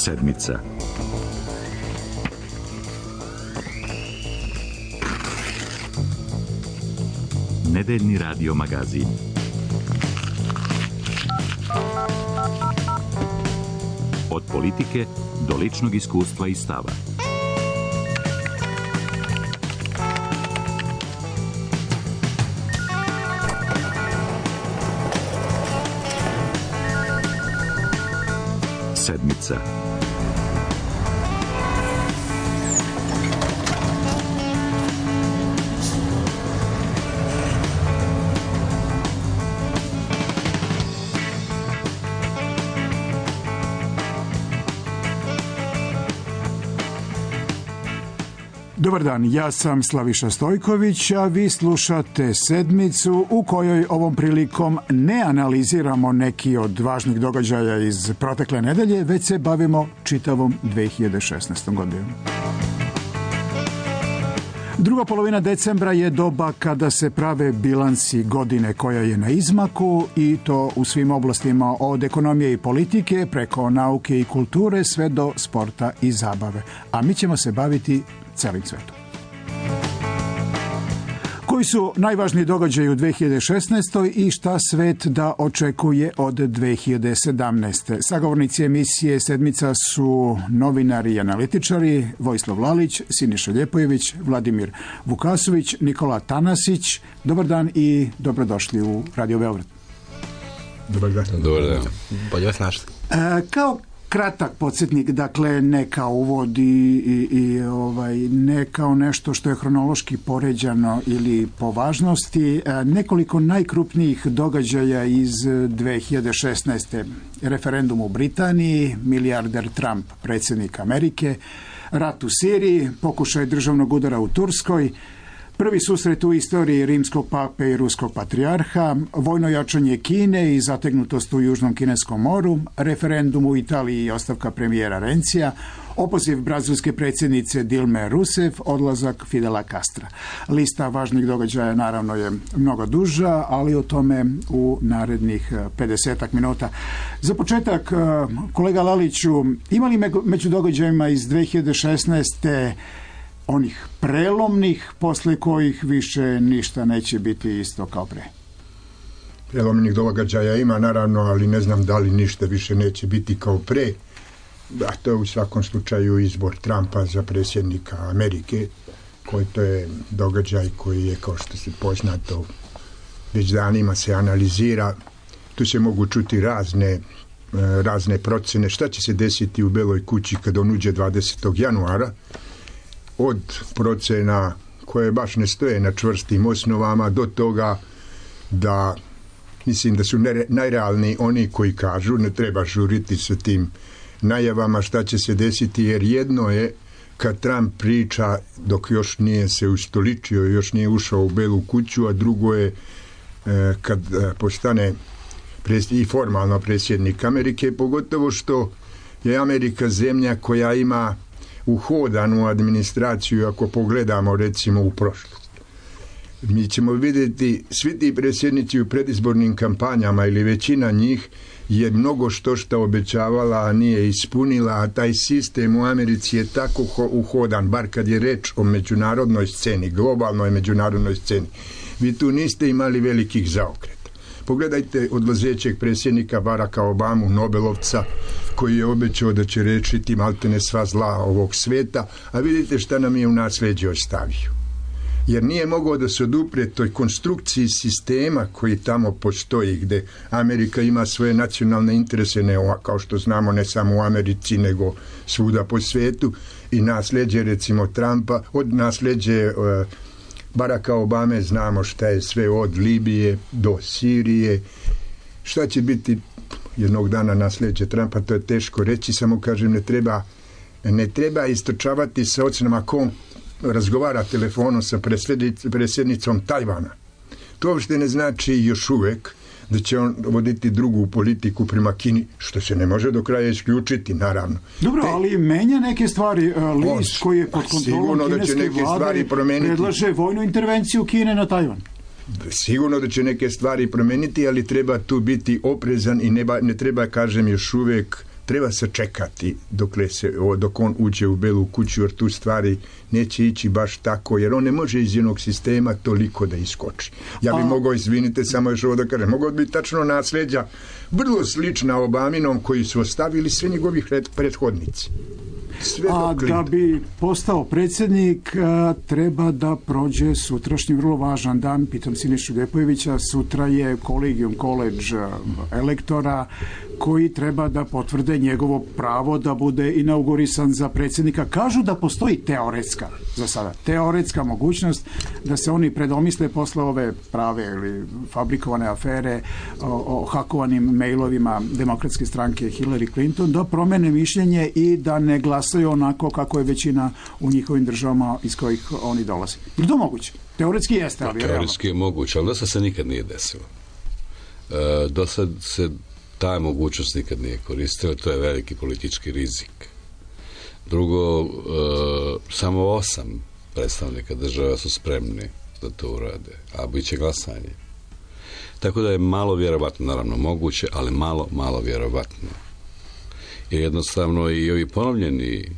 Sedmica. Nedeljni radio magazin. Od politike do ličnog iskustva i stava. Sedmica. Dobar dan, ja sam Slaviša Stojković, a vi slušate Sedmicu u kojoj ovom prilikom ne analiziramo neki od važnih događaja iz protekle nedelje, već se bavimo čitavom 2016. godinom. Druga polovina decembra je doba kada se prave bilansi godine koja je na izmaku i to u svim oblastima od ekonomije i politike preko nauke i kulture sve do sporta i zabave. A mi ćemo se baviti celim svetom. Koji su najvažniji događaji u 2016. i šta svet da očekuje od 2017. Sagovornici emisije Sedmica su novinari i analitičari Vojislav Lalić, Siniša Ljepojević, Vladimir Vukasović, Nikola Tanasić. Dobar dan i dobrodošli u Radio Beograd. Dobar dan. Dobar dan. Bolje vas našli. Kao kratak podsjetnik, dakle ne kao uvod i ne kao nešto što je hronološki poređano ili po važnosti, nekoliko najkrupnijih događaja iz 2016. Referendum u Britaniji, milijarder Trump, predsjednik Amerike, rat u Siriji, pokušaj državnog udara u Turskoj, prvi susret u istoriji rimskog pape i ruskog patrijarha, vojno jačanje Kine i zategnutost u Južnom kineskom moru, referendum u Italiji i ostavka premijera Rencija, opoziv brazilske predsjednice Dilme Rousseff, odlazak Fidela Castra. Lista važnih događaja naravno je mnogo duža, ali o tome u narednih 50 minuta. Za početak, kolega Laliću, ima li među događajima iz 2016. onih prelomnih, posle kojih više ništa neće biti isto kao pre? Prelomnih događaja ima, naravno, ali ne znam da li ništa više neće biti kao pre. A to je u svakom slučaju izbor Trumpa za predsjednika Amerike, koji to je događaj koji je, kao što se poznato, već danima se analizira. Tu se mogu čuti razne procene. Šta će se desiti u Beloj kući kad on uđe 20. januara? Od procena koje baš ne stoje na čvrstim osnovama do toga da mislim da su najrealniji oni koji kažu ne treba žuriti sa tim najavama šta će se desiti, jer jedno je kad Trump priča dok još nije se ustoličio, još nije ušao u Belu kuću, a drugo je kad postane i formalno predsjednik Amerike, pogotovo što je Amerika zemlja koja ima uhodanu administraciju ako pogledamo recimo u prošlost. Mi ćemo vidjeti svi ti predsjednici u predizbornim kampanjama ili većina njih je mnogo što obećavala, a nije ispunila, a taj sistem u Americi je tako uhodan, bar kad je reč o međunarodnoj sceni, globalnoj međunarodnoj sceni. Vi tu niste imali velikih zaokreta. Pogledajte odlazećeg predsjednika Baracka Obamu, Nobelovca, koji je obećao da će rešiti maltene sva zla ovog sveta, a vidite šta nam je u nasleđe ostavio. Jer nije mogao da se odupre toj konstrukciji sistema koji tamo postoji, gde Amerika ima svoje nacionalne interese, kao što znamo ne samo u Americi, nego svuda po svetu, i nasleđe recimo Trumpa, od nasleđe Baracka Obame znamo šta je sve od Libije do Sirije. Šta će biti jednog dana nasleđe Trumpa, to je teško reći, samo kažem ne treba istrčavati sa ocenama ko on razgovara telefonom sa predsjednicom Tajvana. To uopšte ne znači još uvek da će on voditi drugu politiku prema Kini, što se ne može do kraja isključiti, naravno. Dobro, ali menja neke stvari. List koji je pod kontrolom kineske vlade predlaže vojnu intervenciju Kine na Tajvan. Sigurno da će neke stvari promeniti, ali treba tu biti oprezan i ne treba, kažem, još uvek treba sačekati dok on uđe u Belu kuću, jer tu stvari neće ići baš tako, jer on ne može iz jednog sistema toliko da iskoči. Ja bi mogao, izvinite, samo još ovo da kažem, mogao bi tačno nasljeđa vrlo slična Obaminom koji su ostavili sve njegovih prethodnici. A da bi postao predsjednik treba da prođe sutrašnji vrlo važan dan. Pitam Sinišu Ljepojevića, sutra je Collegium College elektora koji treba da potvrde njegovo pravo da bude inaugurisan za predsjednika. Kažu da postoji teoretska, za sada, teoretska mogućnost da se oni predomisle posle ove prave ili fabrikovane afere o hakovanim mailovima Demokratske stranke Hillary Clinton, da promene mišljenje i da ne glasaju onako kako je većina u njihovim državama iz kojih oni dolaze. Je to moguće? Teoretski jeste, ali teoretski je moguće, ali do sad se nikad nije desilo. Do sad se ta mogućnost nikad nije koristila, to je veliki politički rizik. Drugo, samo 8 predstavnika država su spremni da to urade, a bit će glasanje. Tako da je malo vjerovatno, naravno moguće, ali malo vjerovatno. Jer jednostavno i ovi ponovljeni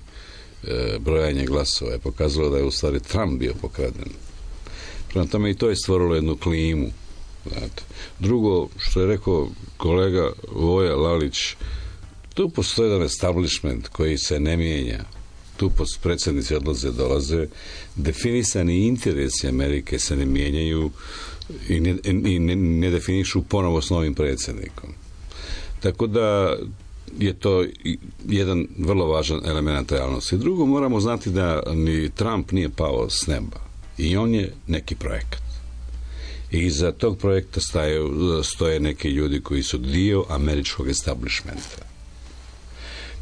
brojanje glasova je pokazalo da je u stvari Trump bio pokraden. Prema tome i to je stvorilo jednu klimu. Znate. Drugo, što je rekao kolega Voja Lalić, tu postoji jedan establishment koji se ne mijenja. Tu predsjednici odlaze, dolaze. Definisani interesi Amerike se ne mijenjaju i ne definišu ponovo s novim predsjednikom. Tako da je to jedan vrlo važan element realnosti. Drugo, moramo znati da ni Trump nije pao s neba. I on je neki projekat. I iza tog projekta stoje neki ljudi koji su dio američkog establishmenta.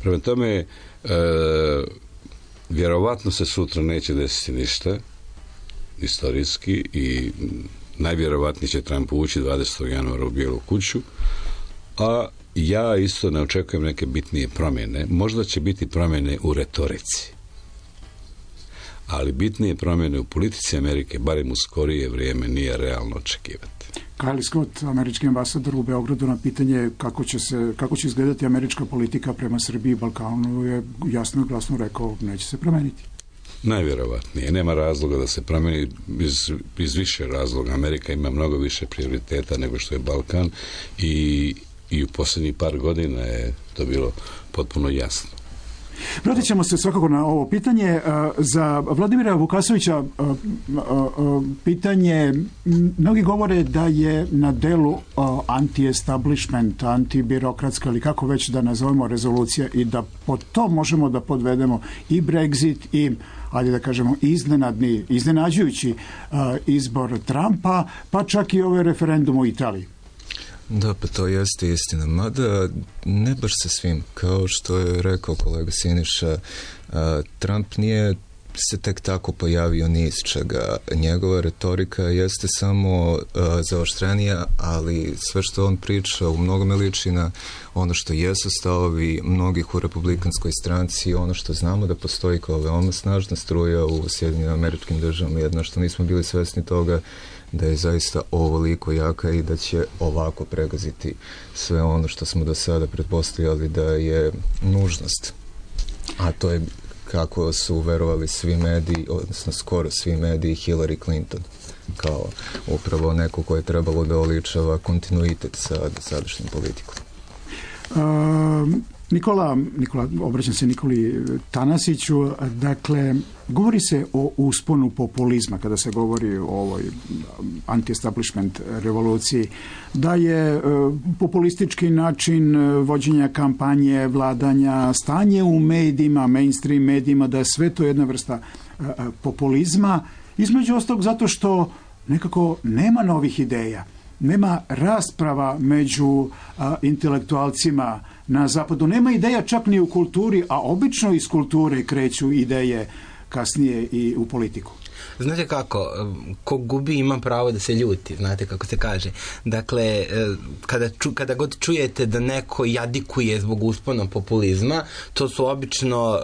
Prema tome, vjerovatno se sutra neće desiti ništa istorijski i najvjerovatnije će Trump ući 20. januara u Bijelu kuću, a ja isto ne očekujem neke bitnije promjene. Možda će biti promjene u retorici, ali bitnije promjene u politici Amerike, barem u skorije vrijeme, nije realno očekivati. Kyle Scott, američki ambasador u Beogradu, na pitanje kako će izgledati američka politika prema Srbiji i Balkanu je jasno i glasno rekao, neće se promeniti. Najvjerovatnije. Nema razloga da se promeni iz više razloga. Amerika ima mnogo više prioriteta nego što je Balkan i u posljednjih par godina je to bilo potpuno jasno. Vratit ćemo se svakako na ovo pitanje. Za Vladimira Vukasovića pitanje, mnogi govore da je na delu anti-establishment, antibirokratska ili kako već da nazovemo rezolucija i da pod to možemo da podvedemo i Brexit i, ajde da kažemo, iznenađujući izbor Trumpa, pa čak i ovaj referendum u Italiji. Da, pa to jeste istina. Mada ne baš sa svim. Kao što je rekao kolega Siniša, Trump nije se tek tako pojavio ni iz čega. Njegova retorika jeste samo zaoštrenija, ali sve što on priča u mnogome liči na ono što jesu stavovi mnogih u republikanskoj stranci, ono što znamo da postoji kao veoma snažna struja u Sjedinjenim Američkim Državama, jedno što nismo bili svesni toga da je zaista ovoliko jaka i da će ovako pregaziti sve ono što smo do sada pretpostavljali da je nužnost. A to je kako su verovali svi mediji, odnosno skoro svi mediji, Hillary Clinton kao upravo neko koje je trebalo da oličava kontinuitet sa sadašnjom politikom. Nikola, obraćam se Nikoli Tanasiću, dakle, govori se o usponu populizma kada se govori o ovoj anti-establishment revoluciji, da je populistički način vođenja kampanje, vladanja, stanje u medijima, mainstream medijima, da je sve to jedna vrsta populizma, između ostalog zato što nekako nema novih ideja. Nema rasprava među intelektualcima na zapadu. Nema ideja čak ni u kulturi, a obično iz kulture kreću ideje kasnije i u politiku. Znate kako, ko gubi ima pravo da se ljuti, znate kako se kaže. Dakle, kada god čujete da neko jadikuje zbog uspona populizma, to su obično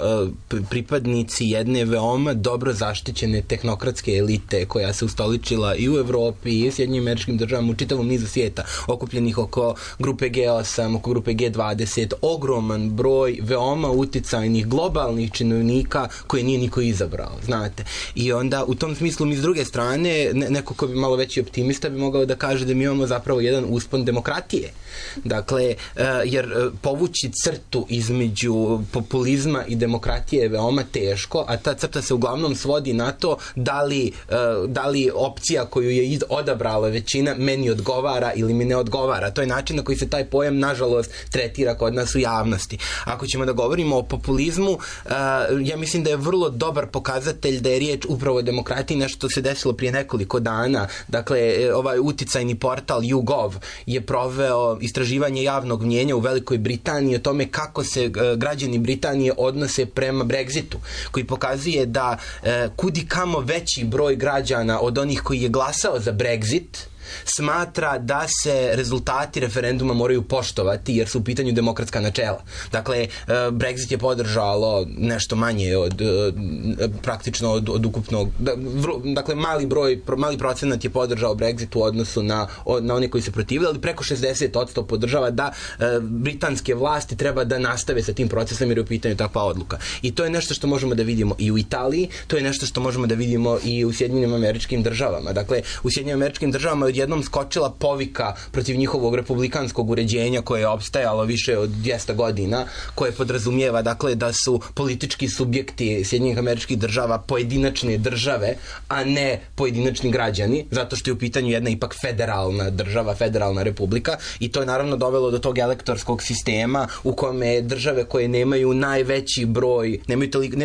pripadnici jedne veoma dobro zaštićene tehnokratske elite koja se ustoličila i u Evropi i u Sjedinjenim Američkim Državama, u čitavom nizu svijeta, okupljenih oko grupe G8, oko grupe G20, ogroman broj veoma uticajnih globalnih činovnika koje nije niko izabrao, znate. I onda u tom smislu mi s druge strane, neko ko bi malo veći optimista bi mogao da kaže da mi imamo zapravo jedan uspon demokratije. Dakle, jer povući crtu između populizma i demokratije je veoma teško, a ta crta se uglavnom svodi na to da li opcija koju je odabrala većina meni odgovara ili mi ne odgovara. To je način na koji se taj pojam, nažalost, tretira kod nas u javnosti. Ako ćemo da govorimo o populizmu, ja mislim da je vrlo dobar pokazatelj da je riječ upravo o demokratiji, nešto se desilo prije nekoliko dana. Dakle, ovaj uticajni portal YouGov je proveo istraživanje javnog mnjenja u Velikoj Britaniji o tome kako se građani Britanije odnose prema Brexitu, koji pokazuje da kudi kamo veći broj građana od onih koji je glasao za Brexit smatra da se rezultati referenduma moraju poštovati jer su u pitanju demokratska načela. Dakle, Brexit je podržalo nešto manje praktično od ukupnog, dakle mali procenat je podržao Brexit u odnosu na one koji se protivili, ali preko 60% podržava da britanske vlasti treba da nastave sa tim procesom jer je u pitanju takva odluka. I to je nešto što možemo da vidimo i u Italiji, to je nešto što možemo da vidimo i u Sjedinjenim Američkim Državama. Dakle, u Sjedinjenim Američkim Državama odjednom skočila povika protiv njihovog republikanskog uređenja koje je opstajalo više od 200 godina, koje podrazumijeva dakle da su politički subjekti Sjedinjenih Američkih Država pojedinačne države, a ne pojedinačni građani, zato što je u pitanju jedna ipak federalna država, federalna republika, i to je naravno dovelo do tog elektorskog sistema u kome države koje nemaju najveći broj,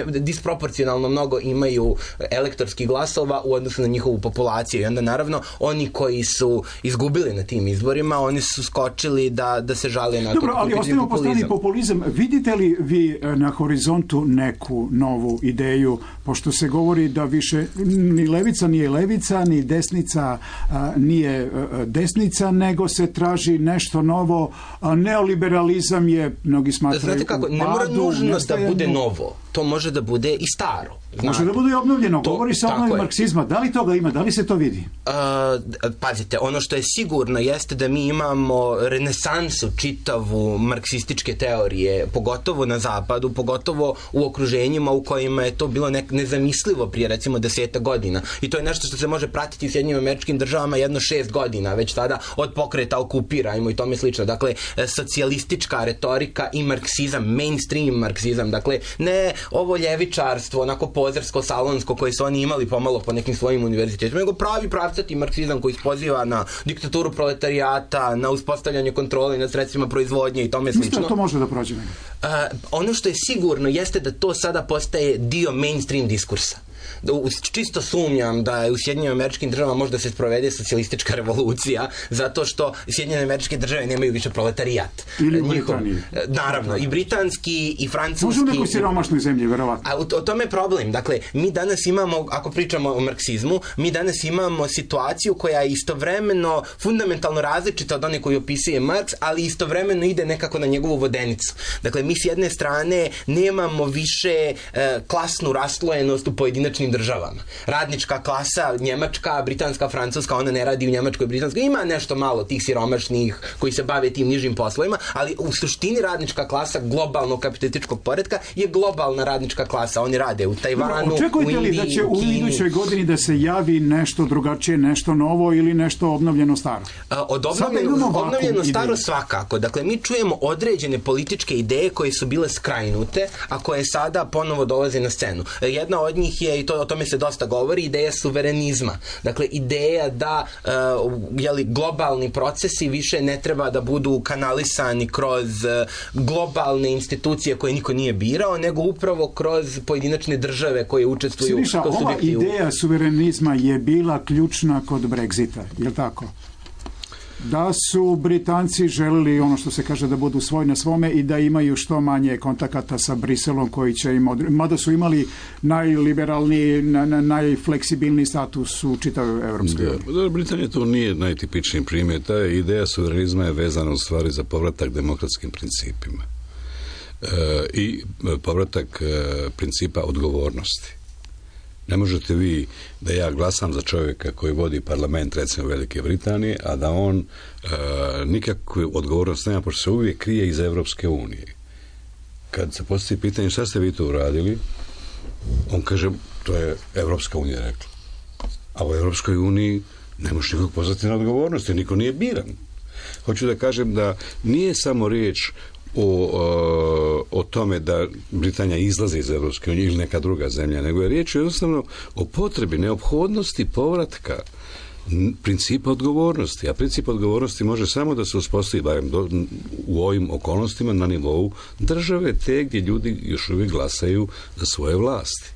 disproporcionalno mnogo imaju elektorskih glasova u odnosu na njihovu populaciju, i onda naravno oni koji su izgubili na tim izborima, oni su skočili da se žale na to. Dobro, ali ostavimo po strani populizam. Vidite li vi na horizontu neku novu ideju, pošto se govori da više ni levica nije levica, ni desnica nije desnica, nego se traži nešto novo. Neoliberalizam je, mnogi smatraju, znate kako, ne mora nužno da bude novo. To može da bude i staro. Znate. Može da bude i obnovljeno. Govori se o obnovi marksizma. Da li toga ima? Da li se to vidi? Pazite, ono što je sigurno jeste da mi imamo renesansu čitavu marksističke teorije, pogotovo na zapadu, pogotovo u okruženjima u kojima je to bilo nezamislivo prije recimo 10 godina. I to je nešto što se može pratiti u Sjedinjenim Američkim Državama jedno 6 godina, već tada od pokreta Okupirajmo i tome slično. Dakle, socijalistička retorika i marksizam, mainstream marksizam, dakle, ne ovo ljevičarstvo, onako pozersko, salonsko koje su oni imali pomalo po nekim svojim univerzitetima, nego pravi pravcati marksizam koji poziva na diktaturu proletarijata, na uspostavljanje kontrole nad sredstvima proizvodnje i tome slično. Što to može da prođe? Ono što je sigurno jeste da to sada postaje dio mainstream diskursa. Čisto sumnjam da je u Sjedinjenim Američkim Državama možda se sprovede socijalistička revolucija, zato što Sjedinjene Američke Države nemaju više proletarijat. Ili u Britaniji. Naravno, i britanski, i francuski. Možda u nekoj siromašnoj zemlji, verovatno. A o tome je problem. Dakle, mi danas imamo, ako pričamo o marksizmu, mi danas imamo situaciju koja je istovremeno fundamentalno različita od one koju opisuje Marks, ali istovremeno ide nekako na njegovu vodenicu. Dakle, mi s jedne strane nemamo više klasnu raslojenost u pojedinačnim državama. Radnička klasa, njemačka, britanska, francuska, ona ne radi u njemačkoj, britanskoj. Ima nešto malo tih siromašnih koji se bave tim nižim poslovima, ali u suštini radnička klasa globalnog kapitalističkog poretka je globalna radnička klasa. Oni rade u Tajvanu, u Indiji, li da će u idućoj godini da se javi nešto drugačije, nešto novo ili nešto obnovljeno staro? Obnovljeno staro svakako. Dakle, mi čujemo određene političke ideje koje su bile skrajnute, a koje sada ponovo dolaze na scenu. Jedna od njih je, i to o tome se dosta govori, ideja suverenizma. Dakle, ideja da globalni procesi više ne treba da budu kanalisani kroz globalne institucije koje niko nije birao, nego upravo kroz pojedinačne države koje učestvuju. Siniša, ova ideja suverenizma je bila ključna kod Brexita, je li tako? Da su Britanci želeli ono što se kaže da budu svoj na svome i da imaju što manje kontakata sa Briselom koji će im mada su imali najliberalniji, najfleksibilniji status u čitavoj Evropskoj uniji. Britanija to nije najtipičniji primjer. Ta ideja suverenizma je vezana u stvari za povratak demokratskim principima i povratak principa odgovornosti. Ne možete vi da ja glasam za čovjeka koji vodi parlament recimo Velike Britanije, a da on nikakvu odgovornost nema, pošto se uvijek krije iz Evropske unije. Kad se postavi pitanje šta ste vi to uradili, on kaže to je Evropska unija rekla. A u Evropskoj uniji ne možeš nikog pozvati na odgovornost, jer niko nije biran. Hoću da kažem da nije samo riječ o tome da Britanija izlazi iz Evropske unije ili neka druga zemlja, nego je riječ jednostavno o potrebi, neophodnosti povratka principa odgovornosti. A princip odgovornosti može samo da se uspostavi barem u ovim okolnostima na nivou države, te gdje ljudi još uvijek glasaju za svoje vlasti.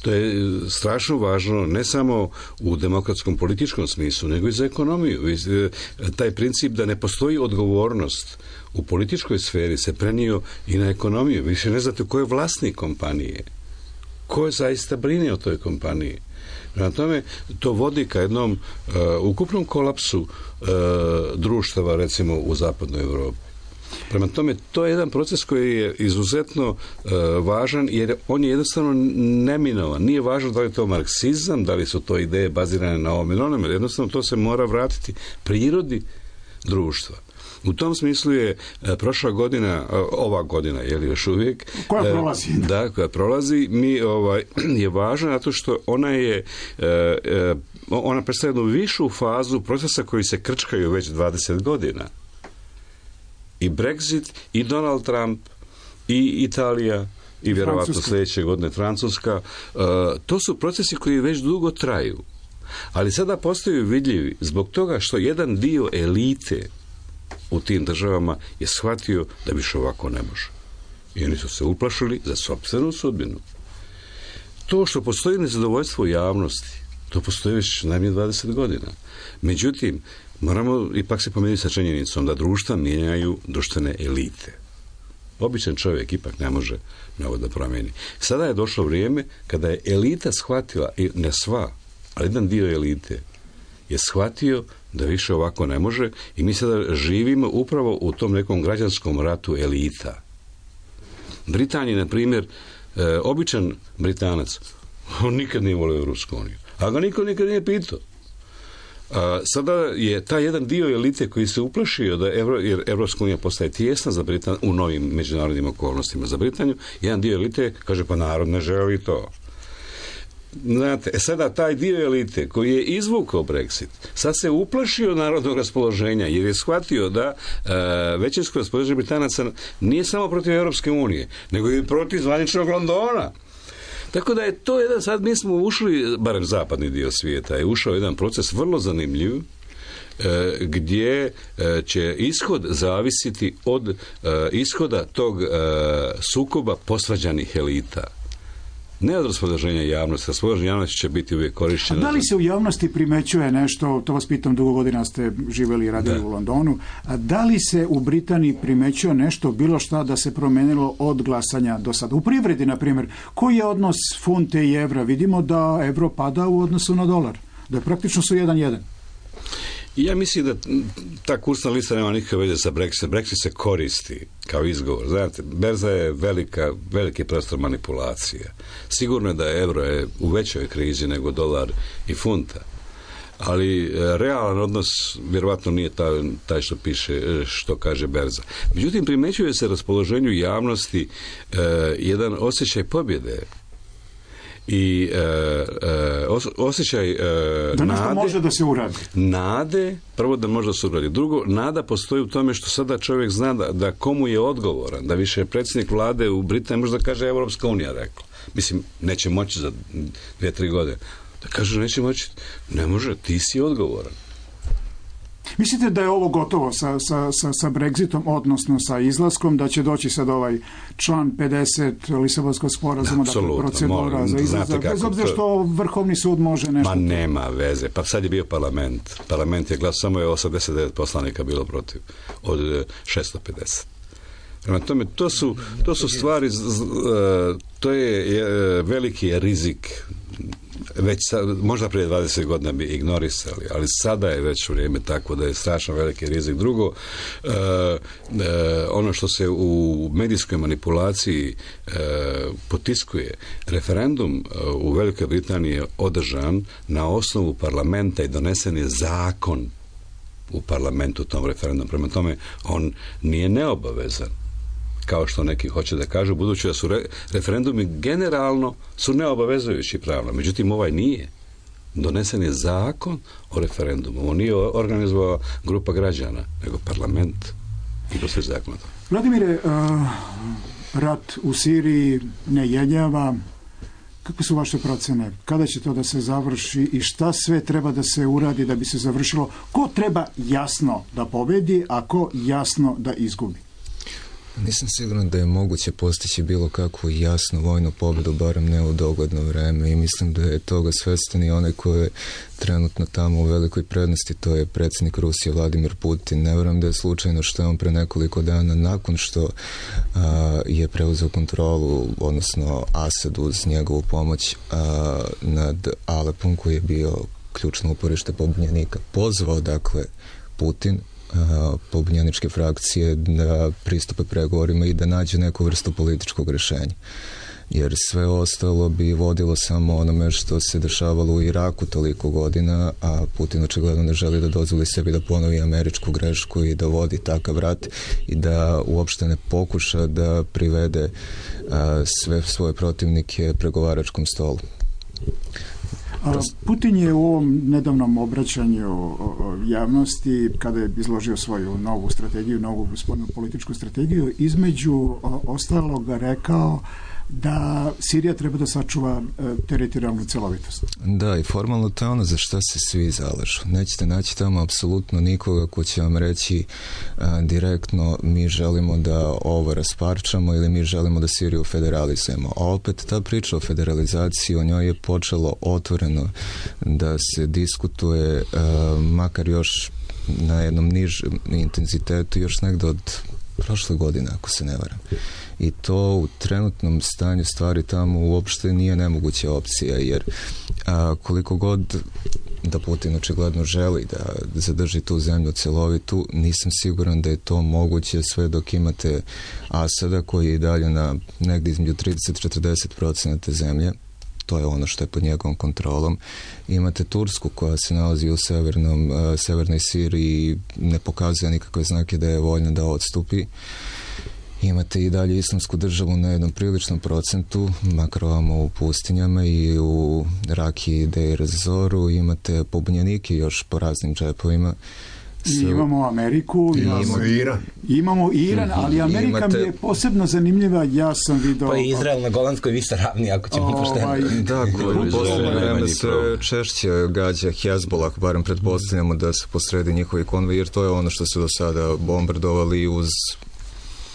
To je strašno važno ne samo u demokratskom političkom smislu, nego i za ekonomiju. Taj princip da ne postoji odgovornost u političkoj sferi se prenio i na ekonomiju. Više ne znate ko je vlasnik kompanije. Ko je zaista brine o toj kompaniji. Prema tome, to vodi ka jednom ukupnom kolapsu društava, recimo, u zapadnoj Europi. Prema tome, to je jedan proces koji je izuzetno važan, jer on je jednostavno neminovan. Nije važno da li je to marksizam, da li su to ideje bazirane na ovom ili onome. Jednostavno, to se mora vratiti prirodi društva. U tom smislu je prošla godina, ova godina, je li još uvijek? Koja prolazi. Da, koja prolazi, je važna zato što ona predstavlja jednu višu fazu procesa koji se krčkaju već 20 godina. I Brexit, i Donald Trump, i Italija, i vjerovatno sljedeće godine Francuska. To su procesi koji već dugo traju. Ali sada postaju vidljivi zbog toga što jedan dio elite u tim državama je shvatio da više ovako ne može. I oni su se uplašili za sopstvenu sudbinu. To što postoji nezadovoljstvo u javnosti, to postoji već najmanje 20 godina. Međutim, moramo ipak se pomiriti sa činjenicom da društva mijenjaju društvene elite. Običan čovjek ipak ne može mnogo da promijeni. Sada je došlo vrijeme kada je elita shvatila, i ne sva, ali jedan dio elite je shvatio da više ovako ne može i mi sada živimo upravo u tom nekom građanskom ratu elita. Britanija, na primjer, običan Britanac, on nikad nije volio Europsku uniju, a ga niko nikad nije pitao. Sada je taj jedan dio elite koji se uplašio da jer Evropska unija postaje tijesna za Britaniju u novim međunarodnim okolnostima za Britaniju, jedan dio elite kaže pa narod ne želi to. Znate, sada taj dio elite koji je izvukao Brexit, sad se uplašio narodnog raspoloženja jer je shvatio da većinsko raspoloženje Britanaca nije samo protiv Europske unije, nego i protiv zvaničnog Londona. Tako da je to jedan, sad mi smo ušli, barem zapadni dio svijeta, je ušao jedan proces vrlo zanimljiv, gdje će ishod zavisiti od ishoda tog sukoba posvađanih elita. Ne od raspoloženja javnosti, raspoloženja javnosti će biti uvijek korišćeno. A da li se u javnosti primećuje nešto, to vas pitam, dugo godina ste živjeli i radili u Londonu, a da li se u Britaniji primećuje nešto, bilo šta da se promijenilo od glasanja do sada? U privredi, na primjer, koji je odnos funte i evra? Vidimo da evro pada u odnosu na dolar, da praktično su 1:1. Ja mislim da ta kursna lista nema nikakve veze sa Brexit. Brexit se koristi kao izgovor. Znate, berza je veliki prostor manipulacija. Sigurno je da euro je u većoj krizi nego dolar i funta. Ali realan odnos vjerovatno nije taj što piše, što kaže berza. Međutim, primećuje se raspoloženju javnosti jedan osjećaj pobjede i osjećaj da nešto može da se uradi. Nade, prvo da može da se uradi. Drugo, nada postoji u tome što sada čovjek zna da komu je odgovoran, da više predsjednik vlade u Britaniji može da kaže Evropska unija rekla. Mislim, neće moći za 2-3 godine. Da kaže neće moći, ne može, ti si odgovoran. Mislite da je ovo gotovo sa Brexitom, odnosno sa izlaskom, da će doći sad ovaj član 50 Lisabonskog sporazuma, dakle procedura za izlazak, bez obzira što Vrhovni sud može nešto... Ma nema veze, pa sad je bio parlament je glas, samo je 89 poslanika bilo protiv od 650. Prema tome, to su stvari, to je veliki rizik. Već možda prije 20 godina bi ignorisali, ali sada je već vrijeme tako da je strašno veliki rizik. Drugo, ono što se u medijskoj manipulaciji potiskuje, referendum u Velikoj Britaniji je održan na osnovu parlamenta i donesen je zakon u parlamentu tom referendum. Prema tome, on nije neobavezan, kao što neki hoće da kažu, budući da su referendumi generalno su neobavezujući pravno. Međutim, ovaj nije. Donesen je zakon o referendumu. On nije organizovala grupa građana, nego parlament i to sve zakon. Vladimire, rat u Siriji ne jenjava. Kakve su vaše procene? Kada će to da se završi i šta sve treba da se uradi da bi se završilo? Ko treba jasno da pobedi, a ko jasno da izgubi? Nisam siguran da je moguće postići bilo kakvu jasnu vojnu pobjedu, barem ne u dogodno vreme, i mislim da je toga svestan i onaj koji je trenutno tamo u velikoj prednosti, to je predsjednik Rusije Vladimir Putin. Ne vjerujem da je slučajno što je on pre nekoliko dana nakon što je preuzeo kontrolu, odnosno Asad uz njegovu pomoć nad Alepom, koji je bio ključno uporište pobunjenika, pozvao dakle Putin pobunjeničke frakcije da pristupe pregovorima i da nađe neku vrstu političkog rješenja. Jer sve ostalo bi vodilo samo onome što se dešavalo u Iraku toliko godina, a Putin očigledno ne želi da dozvoli sebi da ponovi američku grešku i da vodi takav rat i da uopšte ne pokuša da privede sve svoje protivnike pregovaračkom stolu. Putin je u ovom nedavnom obraćanju javnosti, kada je izložio svoju novu strategiju, novu spoljnu političku strategiju, između ostalog rekao da Sirija treba da sačuva teritorijalnu celovitost. Da, i formalno to je ono za šta se svi zalažu. Nećete naći tamo apsolutno nikoga ko će vam reći direktno mi želimo da ovo rasparčamo ili mi želimo da Siriju federalizujemo. A opet ta priča o federalizaciji, o njoj je počelo otvoreno da se diskutuje makar još na jednom nižem intenzitetu još negde od prošle godine, ako se ne varam. I to u trenutnom stanju stvari tamo uopšte nije nemoguća opcija, jer koliko god da Putin očigledno želi da zadrži tu zemlju celovitu, nisam siguran da je to moguće sve dok imate Asada koji je i dalje na negdje između 30-40% zemlje. To je ono što je pod njegovom kontrolom. Imate Tursku koja se nalazi u severnoj Siriji i ne pokazuje nikakve znake da je voljna da odstupi. Imate i dalje Islamsku državu na jednom priličnom procentu, makar ovamo u pustinjama i u Raki, Deir Zoru. Imate pobunjenike još po raznim džepovima. Imamo Ameriku, imamo Iran, ali Amerika mi je posebno zanimljiva, ja sam vidio... Pa je Izrael na Golanskoj visoravni, ako ćemo pošteno. Da, koji u posljednje vreme se češće gađa Hezbollah, barem pretpostavljamo da se posredi njihovi konvoji, jer to je ono što su do sada bombardovali uz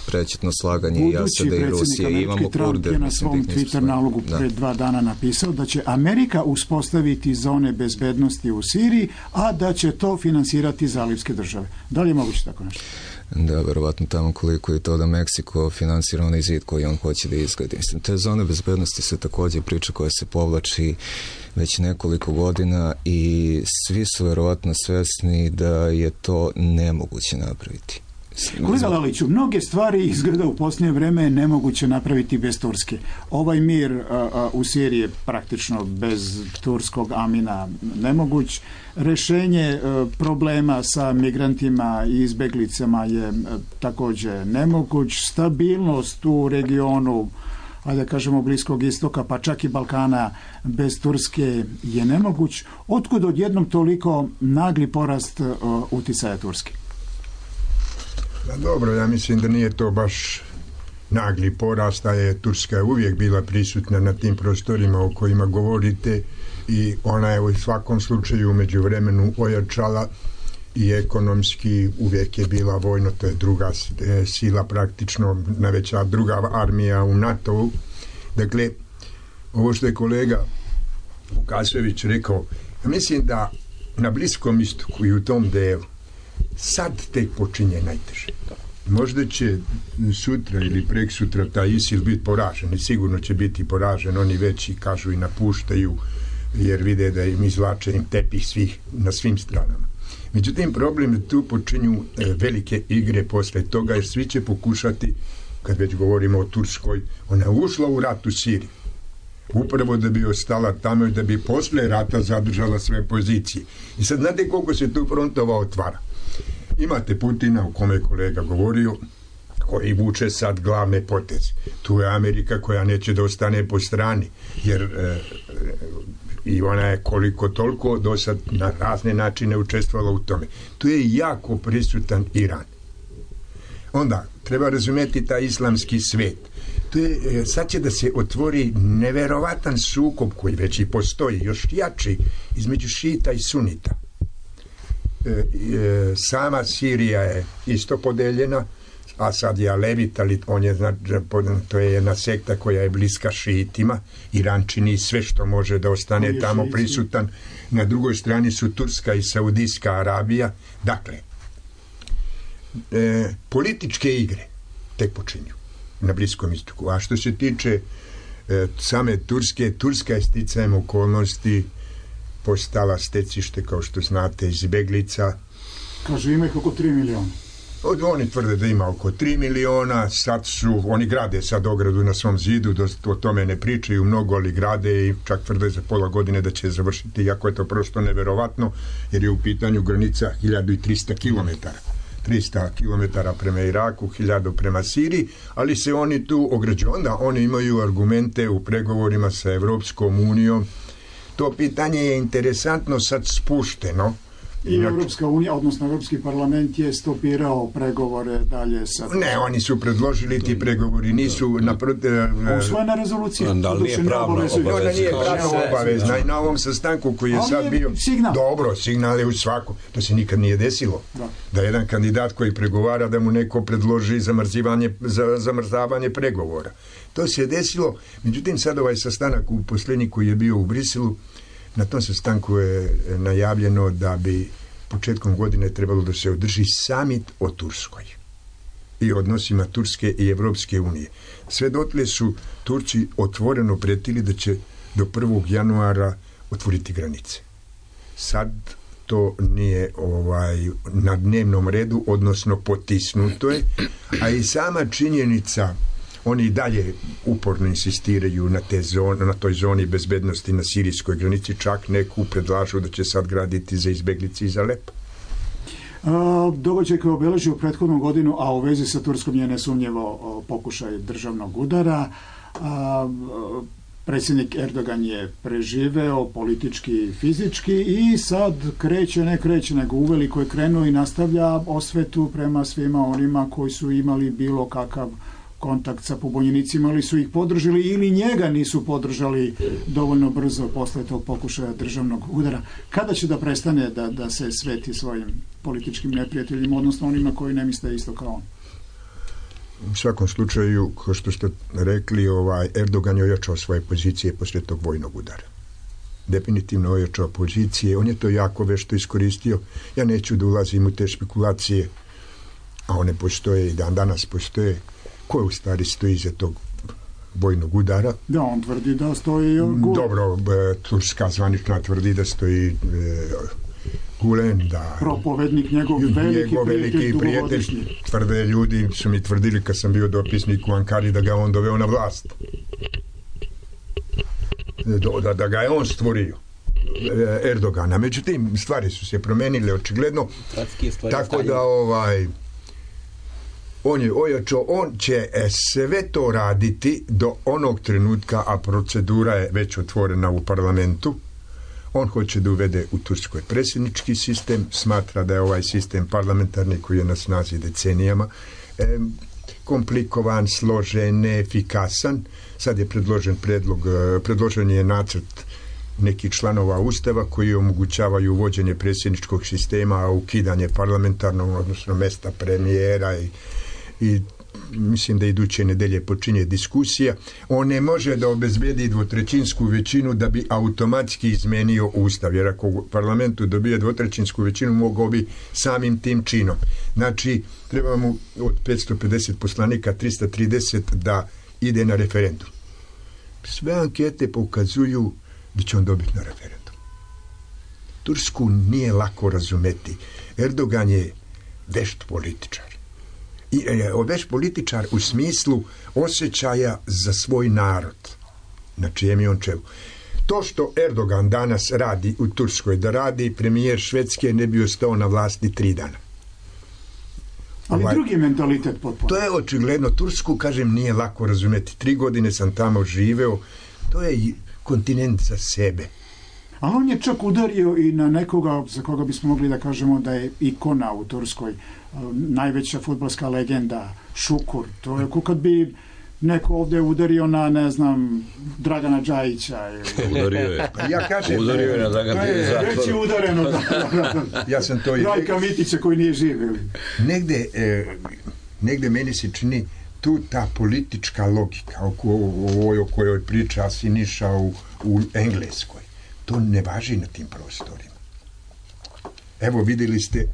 prećutno slaganje i Asada i Rusije. Imamo Kurde. Je na svom Twitter nalogu pred 2 dana napisao da će Amerika uspostaviti zone bezbednosti u Siriji, a da će to finansirati zalivske države. Da li je moguće tako nešto? Da, verovatno tamo koliko je to da Meksiko finansira onaj zid koji on hoće da izgradi. Mislim, te zone bezbednosti su također priča koja se povlači već nekoliko godina i svi su verovatno svesni da je to nemoguće napraviti. Kolega Laliću, mnoge stvari izgleda u posljednje vreme nemoguće napraviti bez Turske. Ovaj mir u Siriji je praktično bez turskog amina nemoguć. Rešenje problema sa migrantima i izbeglicama je također nemoguć. Stabilnost u regionu, ajde da kažemo Bliskog istoka, pa čak i Balkana bez Turske je nemoguć. Otkud odjednom toliko nagli porast uticaja Turske? Da, dobro, ja mislim da nije to baš nagli porast, a je Turska uvijek bila prisutna na tim prostorima o kojima govorite i ona je u svakom slučaju u međuvremenu ojačala i ekonomski, uvijek je bila vojno, to je druga sila praktično, najveća druga armija u NATO-u. Dakle, ovo što je kolega Vukasović rekao, ja mislim da na Bliskom istoku i u tom delu sad tek počinje najteže. Možda će sutra ili preksutra taj ISIL biti poražen i sigurno će biti poražen, oni već i kažu i napuštaju jer vide da im izvlače im tepih na svim stranama. Međutim, problem je tu počinju velike igre posle toga jer svi će pokušati, kad već govorimo o Turskoj, ona je ušla u rat u Siriji upravo da bi ostala tamo i da bi posle rata zadržala sve pozicije. I sad znate koliko se tu frontova otvara. Imate Putina, o kome je kolega govorio, koji vuče sad glavne poteze. Tu je Amerika koja neće da ostane po strani, jer i ona je koliko toliko do sad na razne načine učestvovala u tome. Tu je jako prisutan Iran. Onda, treba razumjeti taj islamski svet. To je, sad će da se otvori neverovatan sukob koji već i postoji, još jači, između šita i sunita. Sama Sirija je isto podeljena, a sad je Alevit, ali on je, to je jedna sekta koja je bliska šiitima. Iran čini sve što može da ostane tamo prisutan. Na drugoj strani su Turska i Saudijska Arabija. Dakle, političke igre tek počinju na Bliskom istoku. A što se tiče same Turske, Turska je sticajem okolnosti postala stecište, kao što znate, izbeglica. Kaže, ima ih oko 3 miliona. Oni tvrde da ima oko 3 miliona, sad oni grade sad ogradu na svom zidu, o tome ne pričaju mnogo, ali grade i čak tvrde za pola godine da će završiti, iako je to prosto neverovatno, jer je u pitanju granica 1300 km. 300 km prema Iraku, 1000 prema Siriji, ali se oni tu ograđuju. Onda oni imaju argumente u pregovorima sa Evropskom unijom. To pitanje je interesantno sad spušteno. I Evropska unija, odnosno Evropski parlament je stopirao pregovore dalje sa... Ne, oni su predložili, ti pregovori nisu... Usvojena rezolucija. Da li nije pravno obavezna? Ona nije pravno obavezna i na ovom sastanku koji je sad bio... Signal. Dobro, signal je u svaku. To se nikad nije desilo. Da jedan kandidat koji pregovara da mu neko predloži zamrzavanje pregovora. To se je desilo. Međutim, sad ovaj sastanak u posljednji koji je bio u Briselu, na tom sastanku je najavljeno da bi početkom godine trebalo da se održi samit o Turskoj i odnosima Turske i Evropske unije. Sve dotle su Turci otvoreno pretili da će do 1. januara otvoriti granice. Sad to nije na dnevnom redu, odnosno potisnuto je, a i sama činjenica, oni i dalje uporno insistiraju na toj zoni bezbednosti na sirijskoj granici, čak neku predlažu da će sad graditi za izbeglice iz Alepa. Događaj koji je obeležio prethodnu godinu, a u vezi sa Turskom je nesumnjivo pokušaj državnog udara. Predsjednik Erdogan je preživeo politički i fizički i sad ne kreće, nego uveliko je krenuo i nastavlja osvetu prema svima onima koji su imali bilo kakav kontakt sa pobunjenicima, ali su ih podržali ili njega nisu podržali dovoljno brzo posle tog pokušaja državnog udara. Kada će da prestane da se sveti svojim političkim neprijateljima, odnosno onima koji ne misle isto kao on? U svakom slučaju, kao što ste rekli, Erdogan je ojačao svoje pozicije posle tog vojnog udara. Definitivno ojačao pozicije. On je to jako vešto iskoristio. Ja neću da ulazim u te špekulacije, a one postoje i dan danas postoje. Ko je u stvari stoji iza tog vojnog udara? Da, on tvrdi da stoji Dobro, turska zvanična tvrdi da stoji Gulen, da... Propovednik, njegov veliki prijatelj. Tvrde ljudi, su mi tvrdili kad sam bio dopisnik u Ankari da ga on doveo na vlast. Da ga je on stvorio. Erdogana. Međutim, stvari su se promenile očigledno. Tako da on je ojačao, on će sve to raditi do onog trenutka, a procedura je već otvorena u parlamentu. On hoće da uvede u Turskoj predsjednički sistem, smatra da je ovaj sistem parlamentarni koji je na snazi decenijama komplikovan, složen, neefikasan. Sad je predložen je nacrt nekih članova Ustava koji omogućavaju uvođenje predsjedničkog sistema, a ukidanje parlamentarnog, odnosno mesta premijera i mislim da iduće nedelje počinje diskusija. On ne može da obezbedi dvotrećinsku većinu da bi automatski izmenio Ustav, jer ako u parlamentu dobije dvotrećinsku većinu, mogao bi samim tim činom. Znači, treba mu od 550 poslanika 330 da ide na referendum. Sve ankete pokazuju da će on dobiti na referendum. Tursku nije lako razumeti. Erdogan je vešt političar. Veš političar u smislu osjećaja za svoj narod, na čijem je on čelu. To što Erdogan danas radi u Turskoj, da radi premijer Švedske, ne bi ostao na vlasti 3 dana. Ali drugi mentalitet potpuno. To je očigledno. Tursku, kažem, nije lako razumeti. 3 godine sam tamo živeo. To je kontinent za sebe. Ali on je čak udario i na nekoga za koga bismo mogli da kažemo da je ikona u Turskoj, najveća fudbalska legenda, Šukur. To je kad bi neko ovdje udario na, ne znam, Dragana Džajića. Udario je. Ja kažem, udario je na Dragana Džajića. Već je udareno. Ja sam to i Rajka Mitića koji nije živio. Negde meni se čini tu ta politička logika o kojoj priča Siniša u Engleskoj. To ne važi na tim prostorima. Evo, vidjeli ste,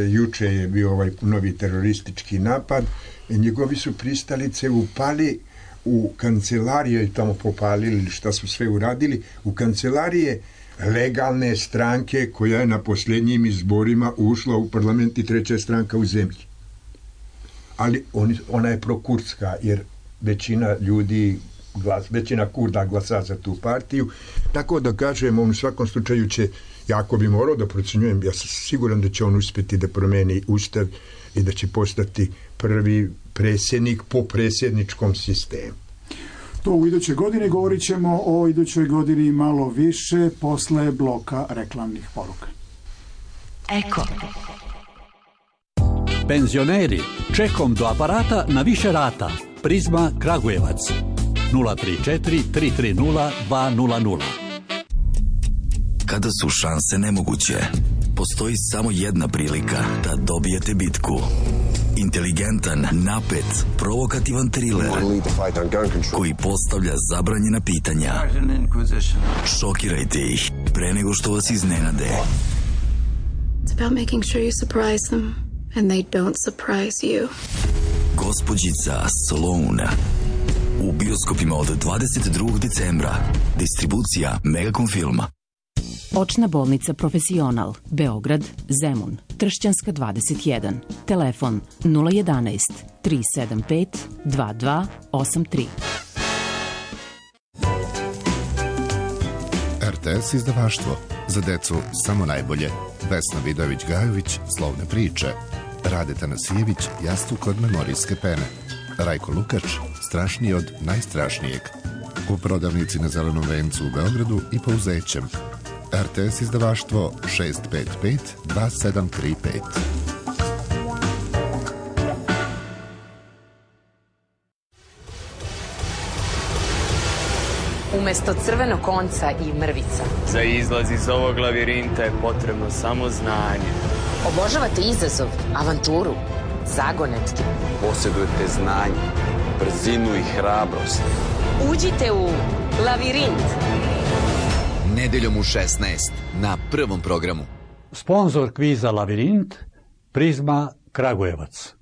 juče je bio ovaj novi teroristički napad, njegovi su pristalice upali u kancelarije i tamo popalili šta su sve uradili, u kancelarije legalne stranke koja je na posljednjim izborima ušla u parlament i 3. stranka u zemlji. Ali ona je prokurdska, jer većina ljudi, većina Kurda glasa za tu partiju, tako da kažem, on u svakom slučaju će, jako bi morao da procenjujem, ja sam siguran da će on uspjeti da promeni Ustav i da će postati prvi predsjednik po predsjedničkom sistemu. To u idućoj godini, govorit ćemo o idućoj godini malo više posle bloka reklamnih poruka. Eko. Penzioneri, čekom do aparata na više rata. Prizma Kragujevac 034 330 200. Kada su šanse nemoguće, postoji samo jedna prilika da dobijete bitku. Inteligentan, napet, provokativan thriller koji postavlja zabranjena pitanja. Šokirajte ih pre nego što vas iznenade. It's about making sure you surprise them and they don't surprise you. Gospođica Sloane. U bioskopima od 22. decembra. Distribucija Megacom filma. Očna bolnica Profesional, Beograd, Zemun, Tršćanska 21, telefon 011 375 2283. RTS izdavaštvo. Za decu samo najbolje. Vesna Vidović-Gajović, Slovne priče. Rade Tanasijević, Jastuk kod memorijske pene. Rajko Lukač, Strašniji od najstrašnijeg. U prodavnici na Zelenom vencu u Beogradu i po Uzećem. RTS izdavaštvo 655 2735. Umesto crvenog konca i mrvica. Za izlaz iz ovog lavirinta je potrebno samo znanje. Obožavate izazov, avanturu, zagonetke. Posjedujete znanje, brzinu i hrabrost. Uđite u Lavirint. Nedeljom u 16 na Prvom programu. Sponzor kviza Lavirint, Prizma Kragujevac.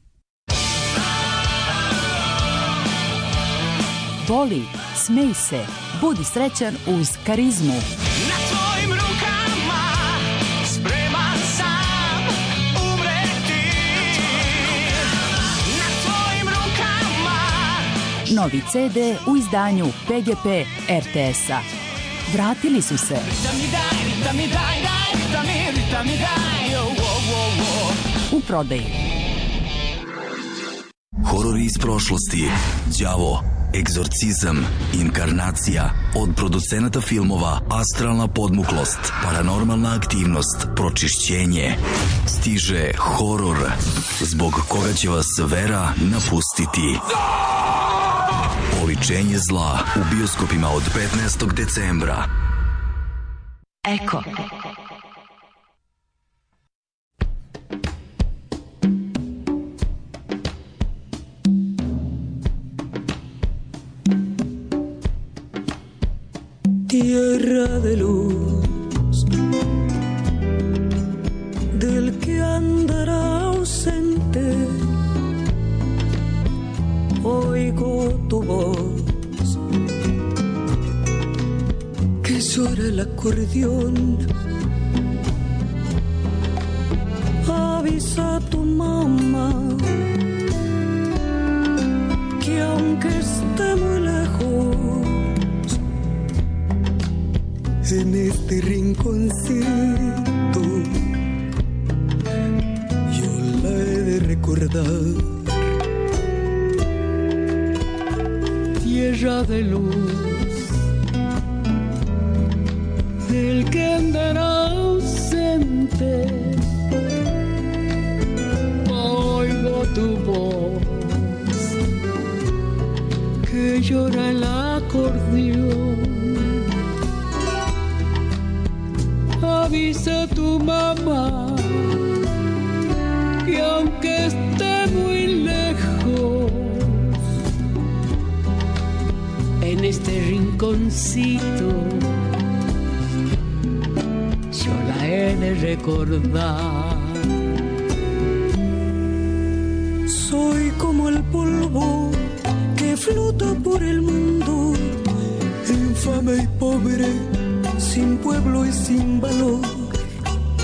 Voli, smej se, budi srećan uz Karizmu. Na tvojim rukama spreman sam umreti. Na tvojim rukama. Novi CD u izdanju PGP RTS-a. Vratili su se. U prodaji. Horori iz prošlosti, đavo, egzorcizam, inkarnacija, od producenata filmova Astralna podmuklost, Paranormalna aktivnost, Pročišćenje. Stiže horor, zbog koga će vas vera napustiti. Oličenje zla u bioskopima od 15. decembra. Eko. Tierra de luz, del que andará ausente, oigo tu voz, que llora el acordeón. Avisa a tu mamá que aunque esté muy lejos, en este rinconcito yo la he de recordar. Tierra de luz, del que andará ausente, oigo tu voz que llora el acordeón. Avisa a tu mamá que aunque esté muy lejos, en este rinconcito yo la he de recordar. Soy como el polvo que flota por el mundo, infame y pobre, sin pueblo y sin valor.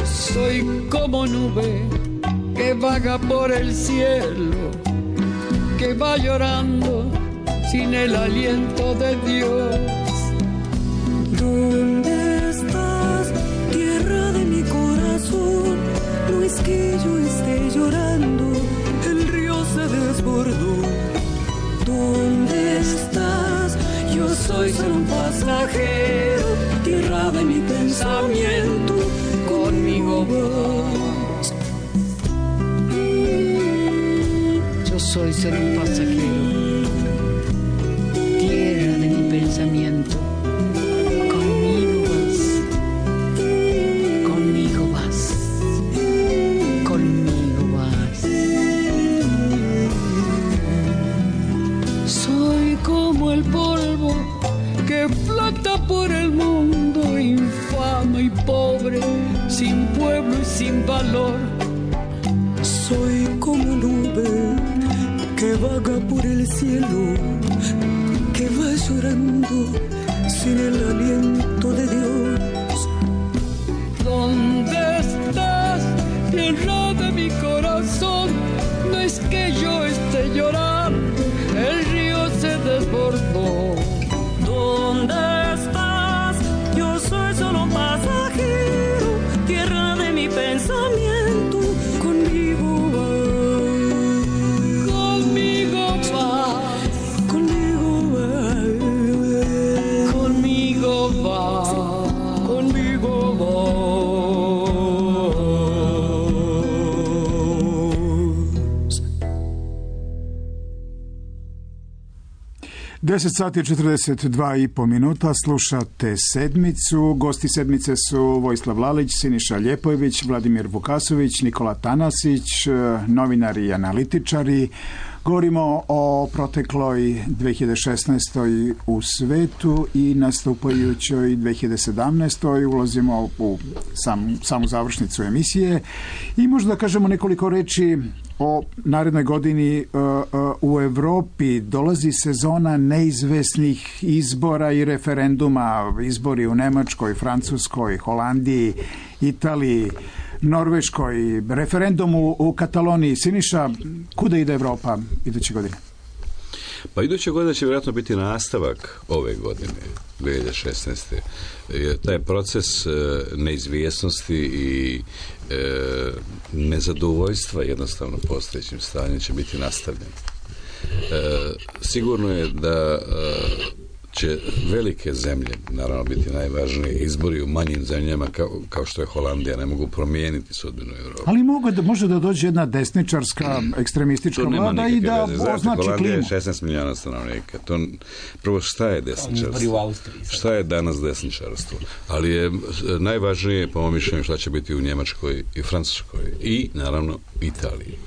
Soy como nube que vaga por el cielo, que va llorando sin el aliento de Dios. ¿Dónde estás, tierra de mi corazón? No es que yo esté llorando, el río se desbordó. ¿Dónde estás? Yo soy solo un pasajero, tierra de mi pensamiento, conmigo vas. Yo soy solo un pasajero, tierra de mi pensamiento, conmigo vas, conmigo vas, conmigo vas. Soy como el polvo que flota por el mundo, infame y pobre, sin pueblo y sin valor. Soy como nube que vaga por el cielo, que va llorando sin el aliento de Dios. ¿Dónde estás, tierra de mi corazón? No es que yo esté llorando, el río se desbordó. ¿Dónde estás? Yo soy solo un pasajero, tierra de mi pensamiento, conmigo vas, conmigo vas, conmigo vas, conmigo vas, conmigo vas. 10 sati 42,5 minuta, slušate Sedmicu. Gosti Sedmice su Vojislav Lalić, Siniša Ljepojević, Vladimir Vukasović, Nikola Tanasić, novinari i analitičari. Govorimo o protekloj 2016. u svetu i nastupajućoj 2017. Ulazimo u samu završnicu emisije i možda da kažemo nekoliko reči o narednoj godini u Evropi. Dolazi sezona neizvesnih izbora i referenduma, izbori u Nemačkoj, Francuskoj, Holandiji, Italiji, Norveškoj, referendum u Kataloniji. Siniša, kuda ide Evropa iduće godine? Pa iduće godine će vjerojatno biti nastavak ove godine, 2016. Jer taj proces neizvjesnosti i nezadovoljstva jednostavno postojećim stanjem će biti nastavljen. Sigurno je da će velike zemlje, naravno, biti najvažnije. Izbori u manjim zemljama, kao što je Holandija, ne mogu promijeniti sudbinu Evrope. Ali može da dođe jedna desničarska, ekstremistička vlada i da označi klimu. Holandija je 16 milijuna stanovnika. Prvo, šta je desničarstvo? Šta je danas desničarstvo? Ali je najvažnije, po mom mišljenju, šta će biti u Njemačkoj i Francuskoj i, naravno, Italiji.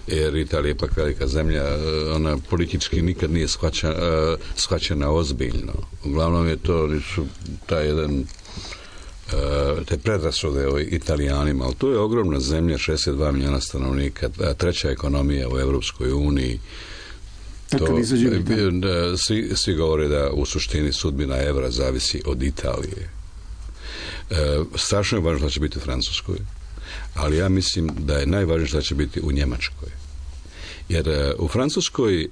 Jer Italija je ipak velika zemlja, ona politički nikad nije shvaćena ozbiljno. Uglavnom je to te predrasude o Italijanima, ali to je ogromna zemlja, 62 milijuna stanovnika, treća ekonomija u Europskoj uniji. Svi govore da u suštini sudbina evra zavisi od Italije. Strašno je važno da će biti u Francuskoj, ali ja mislim da je najvažnije što će biti u Njemačkoj. Jer u Francuskoj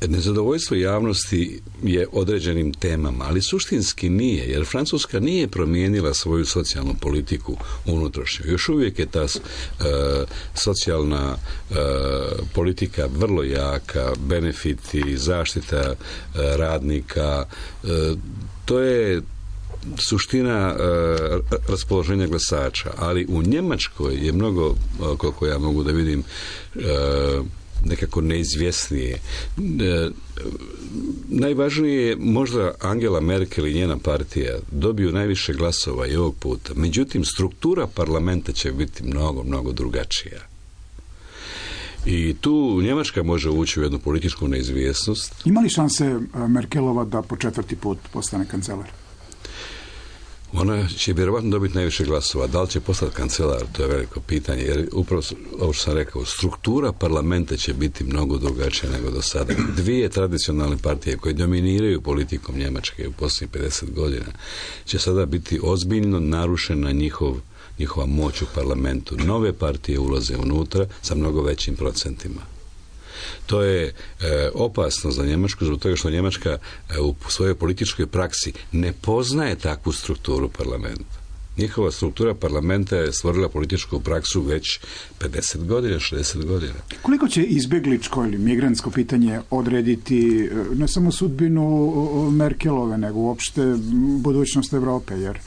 nezadovoljstvo javnosti je određenim temama, ali suštinski nije, jer Francuska nije promijenila svoju socijalnu politiku unutrašnju. Još uvijek je ta socijalna politika vrlo jaka, benefiti, zaštita radnika, to je suština raspoloženja glasača, ali u Njemačkoj je mnogo, koliko ja mogu da vidim, nekako neizvjesnije. Najvažnije je možda Angela Merkel i njena partija dobiju najviše glasova i ovog puta. Međutim, struktura parlamenta će biti mnogo, mnogo drugačija. I tu Njemačka može ući u jednu političku neizvjesnost. Ima li šanse Merkelova da po 4. put postane kancelar? Ona će vjerovatno dobiti najviše glasova. Da li će postati kancelar, to je veliko pitanje, jer upravo ovo što sam rekao, struktura parlamenta će biti mnogo drugačija nego do sada. Dvije tradicionalne partije koje dominiraju politikom Njemačke u posljednjih 50 godina će sada biti ozbiljno narušena njihova moć u parlamentu. Nove partije ulaze unutra sa mnogo većim procentima. To je opasno za Njemačku, zbog toga što Njemačka u svojoj političkoj praksi ne poznaje takvu strukturu parlamenta. Njihova struktura parlamenta je stvorila političku praksu već 50 godina, 60 godina. Koliko će izbjegličko ili migrantsko pitanje odrediti ne samo sudbinu Merkelove, nego uopšte budućnost Evrope, jer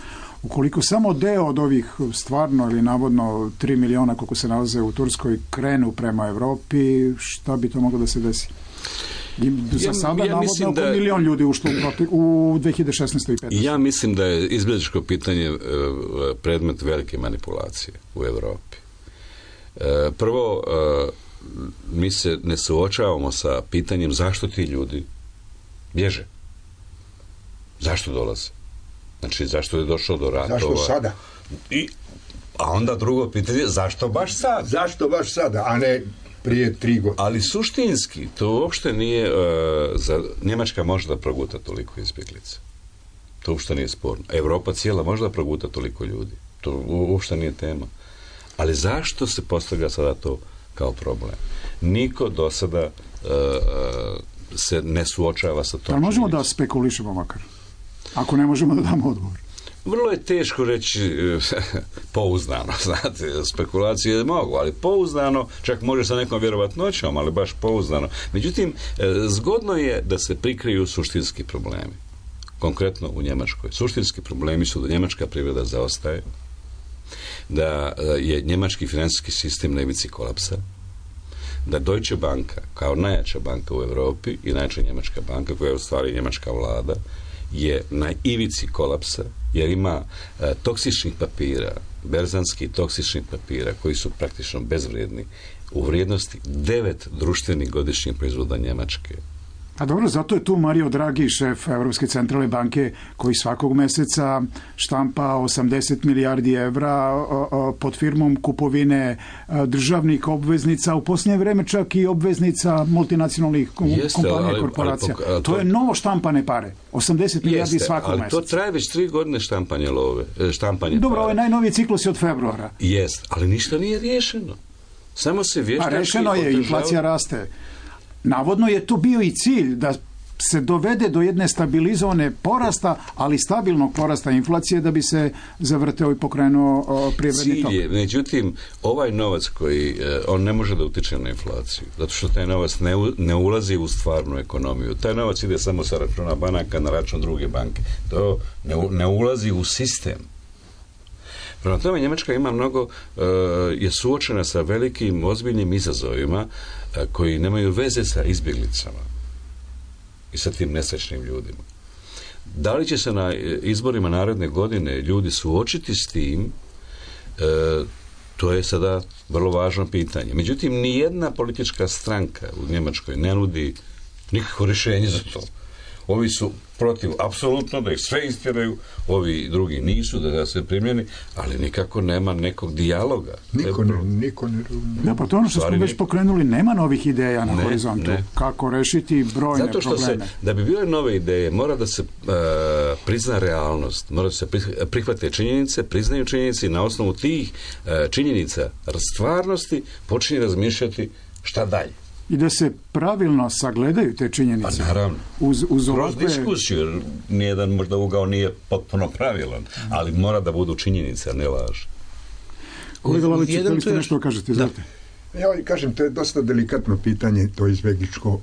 ukoliko samo deo od ovih stvarno ili navodno 3 miliona koliko se nalaze u Turskoj krenu prema Evropi, šta bi to moglo da se desi? Za sada navodno oko milion ljudi ušlo u 2016. i 2015. Ja mislim da je izbjegličko pitanje predmet velike manipulacije u Evropi. Prvo, mi se ne suočavamo sa pitanjem zašto ti ljudi bježe. Zašto dolaze? Znači, zašto je došlo do ratova? Zašto sada? A onda drugo pitanje, zašto baš sad? Zašto baš sada, a ne prije 3 godine? Ali suštinski, to uopšte nije... Njemačka može da proguta toliko izbjeglica. To uopšte nije sporno. Evropa cijela može da proguta toliko ljudi. To uopšte nije tema. Ali zašto se postavlja sada to kao problem? Niko do sada se ne suočava sa tom. Ali možemo da spekulišemo makar? Ako ne možemo da damo odgovor. Vrlo je teško reći pouzdano, znate, spekulacije mogu, ali pouzdano, čak može sa nekom vjerovatnoćom, ali baš pouzdano. Međutim, zgodno je da se prikriju suštinski problemi. Konkretno u Njemačkoj. Suštinski problemi su da njemačka privreda zaostaje, da je njemački financijski sistem na ivici kolapsa, da Deutsche Banka, kao najjača banka u Europi i najjača njemačka banka, koja je u stvari njemačka vlada, je na ivici kolapsa, jer ima toksičnih papira, berzanskih toksičnih papira, koji su praktično bezvrijedni, u vrijednosti 9 društvenih godišnjih proizvoda Njemačke. A dobro, zato je tu Mario Draghi, šef Europske centralne banke, koji svakog meseca štampa 80 milijardi evra pod firmom kupovine državnih obveznica, u posljednje vreme čak i obveznica multinacionalnih kompanija i korporacija. To je novo štampane pare. 80 milijardi svakog meseca. Ali to traje već 3 godine štampanje love. Dobro, ovaj najnoviji ciklus je od februara. Jest, ali ništa nije riješeno. Samo se vještački... rešeno je, inflacija raste. Navodno je tu bio i cilj da se dovede do jedne stabilizovane porasta, ali stabilnog porasta inflacije da bi se zavrteo i pokrenuo privredni tok. Cilj je, međutim, ovaj novac koji, on ne može da utiče na inflaciju, zato što taj novac ne ulazi u stvarnu ekonomiju. Taj novac ide samo sa računa banaka na račun druge banke. To ne ulazi u sistem. Prema tome, Njemačka ima mnogo, je suočena sa velikim, ozbiljnim izazovima koji nemaju veze sa izbjeglicama i sa tim nesrećnim ljudima. Da li će se na izborima naredne godine ljudi suočiti s tim, to je sada vrlo važno pitanje. Međutim, nijedna politička stranka u Njemačkoj ne nudi nikakvo rješenje za to. Ovi su protiv, apsolutno, da ih sve istjeraju, ovi drugi nisu, da se primjeni, ali nikako nema nekog dijaloga. Niko ne. Da, pa to ono što smo već pokrenuli, nema novih ideja na horizontu. Kako rešiti brojne zato što probleme. Da bi bile nove ideje, mora da se prizna realnost, mora da se prihvate činjenice, priznaju činjenice i na osnovu tih činjenica stvarnosti počinje razmišljati šta dalje. I da se pravilno sagledaju te činjenice. Pa naravno. Kroz diskusiju, jer nijedan možda ugao nije potpuno pravilan, ali mora da budu činjenice, a ne laž. Kolega Lalić, da li ste nešto kažete? Znate? Ja kažem, to je dosta delikatno pitanje, to izbjegličko.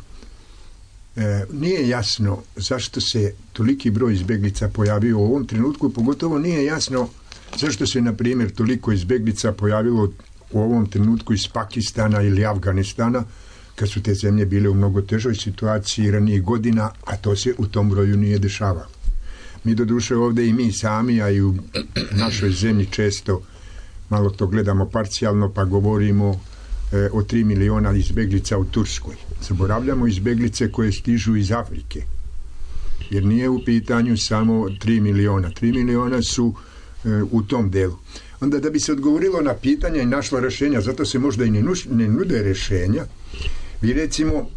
Nije jasno zašto se toliki broj izbjeglica pojavio u ovom trenutku, pogotovo nije jasno zašto se, na primjer, toliko izbjeglica pojavilo u ovom trenutku iz Pakistana ili Afganistana, kad su te zemlje bile u mnogo težoj situaciji ranijih godina, a to se u tom broju nije dešavalo. Mi doduše ovdje i mi sami, a i u našoj zemlji često malo to gledamo parcijalno, pa govorimo o 3 miliona izbjeglica u Turskoj. Zaboravljamo izbjeglice koje stižu iz Afrike, jer nije u pitanju samo 3 miliona. 3 miliona su u tom delu. Onda da bi se odgovorilo na pitanja i našlo rješenja, zato se možda i ne nude rješenja, vi recimo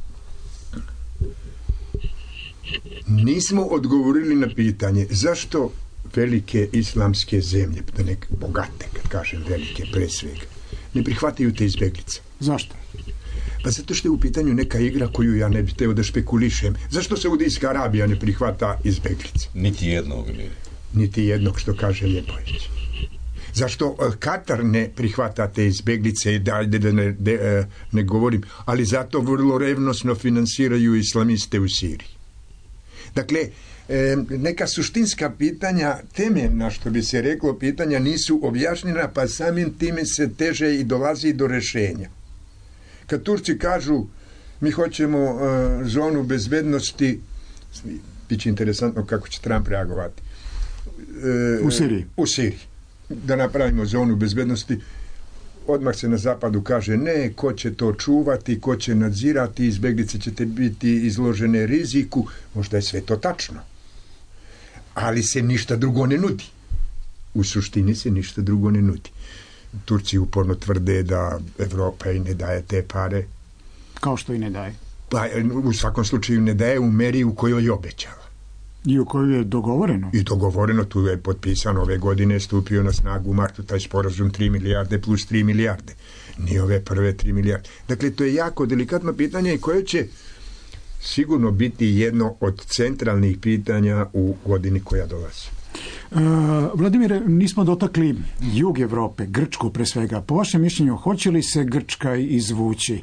nismo odgovorili na pitanje zašto velike islamske zemlje, da nek bogate, kad kažem velike pre svega, ne prihvataju te izbjeglice. Zašto? Pa zato što je u pitanju neka igra koju ja ne bih teo da špekulišem. Zašto Saudijska Arabija ne prihvata izbjeglice? Niti jednog, što kaže Ljepović. Zašto Katar ne prihvata te izbjeglice, da ne govorim, ali zato vrlo revnosno finansiraju islamiste u Siriji. Dakle, neka suštinska pitanja, temeljna, što bi se reklo, pitanja nisu objašnjena, pa samim time se teže i dolazi do rješenja. Kad Turci kažu mi hoćemo zonu bezbednosti, bit će interesantno kako će Trump reagovati. U Siriji. Da napravimo zonu bezbednosti, odmah se na zapadu kaže ne, ko će to čuvati, ko će nadzirati, izbjeglice ćete biti izložene riziku. Možda je sve to tačno, ali se ništa drugo ne nudi. U suštini se ništa drugo ne nudi. Turci uporno tvrde da Evropa i ne daje te pare. Kao što i ne daje? Pa u svakom slučaju ne daje u meri u kojoj je obećala. I u kojoj je dogovoreno? I dogovoreno, tu je potpisano ove godine, stupio na snagu u martu taj sporazum 3 milijarde plus 3 milijarde. Nije ove prve 3 milijarde. Dakle, to je jako delikatno pitanje i koje će sigurno biti jedno od centralnih pitanja u godini koja dolazi. Vladimire, nismo dotakli jug Evrope, Grčku pre svega. Po vašem mišljenju, hoće li se Grčka izvući?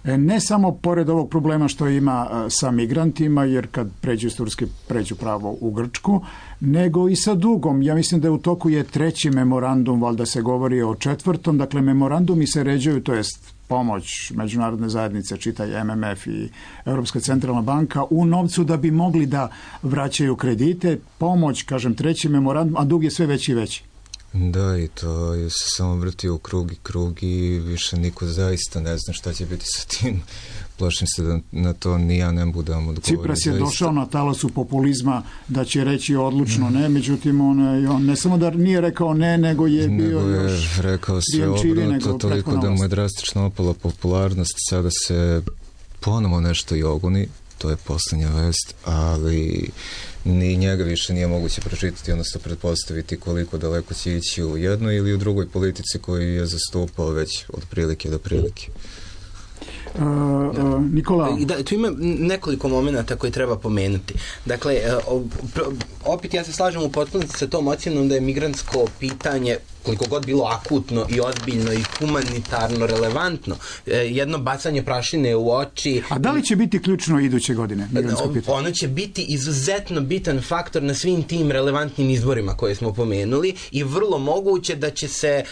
Ne samo pored ovog problema što ima sa migrantima, jer kad pređu iz Turske, pređu pravo u Grčku, nego i sa dugom. Ja mislim da u toku je 3. memorandum, valjda se govori o 4. Dakle, memorandumi se ređuju, to jest pomoć međunarodne zajednice, čitaj MMF i Europska centralna banka, u novcu da bi mogli da vraćaju kredite. Pomoć, kažem, 3. memorandum, a dug je sve veći i veći. Da, i to je se samo vrti u krug i više niko zaista ne zna šta će biti sa tim. Plašim se da na to ni ja ne budem odgovorio. Cipras je došao na talasu populizma da će reći odlučno ne, međutim on ne samo da nije rekao ne, nego je bio još rekao sve obrnuto, toliko da mu je drastično opala popularnost, sada se ponovo nešto joguni, to je posljednja vest, ali ni njega više nije moguće pročitati, odnosno pretpostaviti koliko daleko će ići u jednoj ili u drugoj politici koju je zastupao već od prilike do prilike. Nikola? Da, tu ima nekoliko momenata koje treba pomenuti. Dakle, opet ja se slažem u potpunosti sa tom ocjenom da je migrantsko pitanje, koliko god bilo akutno i ozbiljno i humanitarno relevantno, jedno bacanje prašine u oči. A da li će biti ključno iduće godine migrantsko pitanje? Ono će biti izuzetno bitan faktor na svim tim relevantnim izborima koje smo pomenuli i vrlo moguće da će se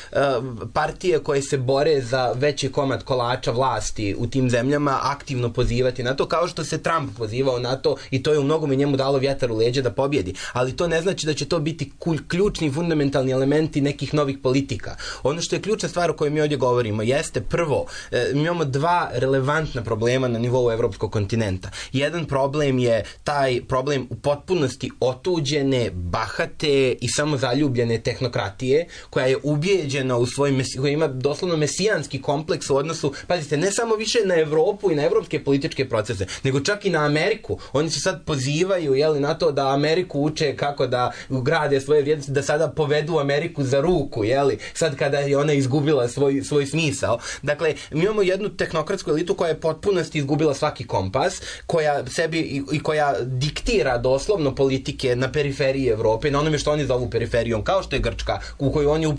partije koje se bore za veći komad kolača vlasti u tim zemljama aktivno pozivati na to, kao što se Trump pozivao na to, i to je u mnogome njemu dalo vjetar u leđa da pobjedi. Ali to ne znači da će to biti ključni fundamentalni elementi nekih novih politika. Ono što je ključna stvar o kojoj mi ovdje govorimo jeste prvo, mi imamo dva relevantna problema na nivou evropskog kontinenta. Jedan problem je taj problem u potpunosti otuđene, bahate i samozaljubljene tehnokratije, koja je ubijeđena u svoj, koja ima doslovno mesijanski kompleks u odnosu, pazite, ne samo više na Evropu i na evropske političke procese, nego čak i na Ameriku. Oni se sad pozivaju, na to da Ameriku uče kako da grade svoje vrijednosti, da sada povedu Ameriku za ruku, sad kada je ona izgubila svoj smisao. Dakle, mi imamo jednu tehnokratsku elitu koja je potpunosti izgubila svaki kompas, koja sebi i koja diktira doslovno politike na periferiji Evrope, na onome što oni zovu periferijom, kao što je Grčka, u koju oni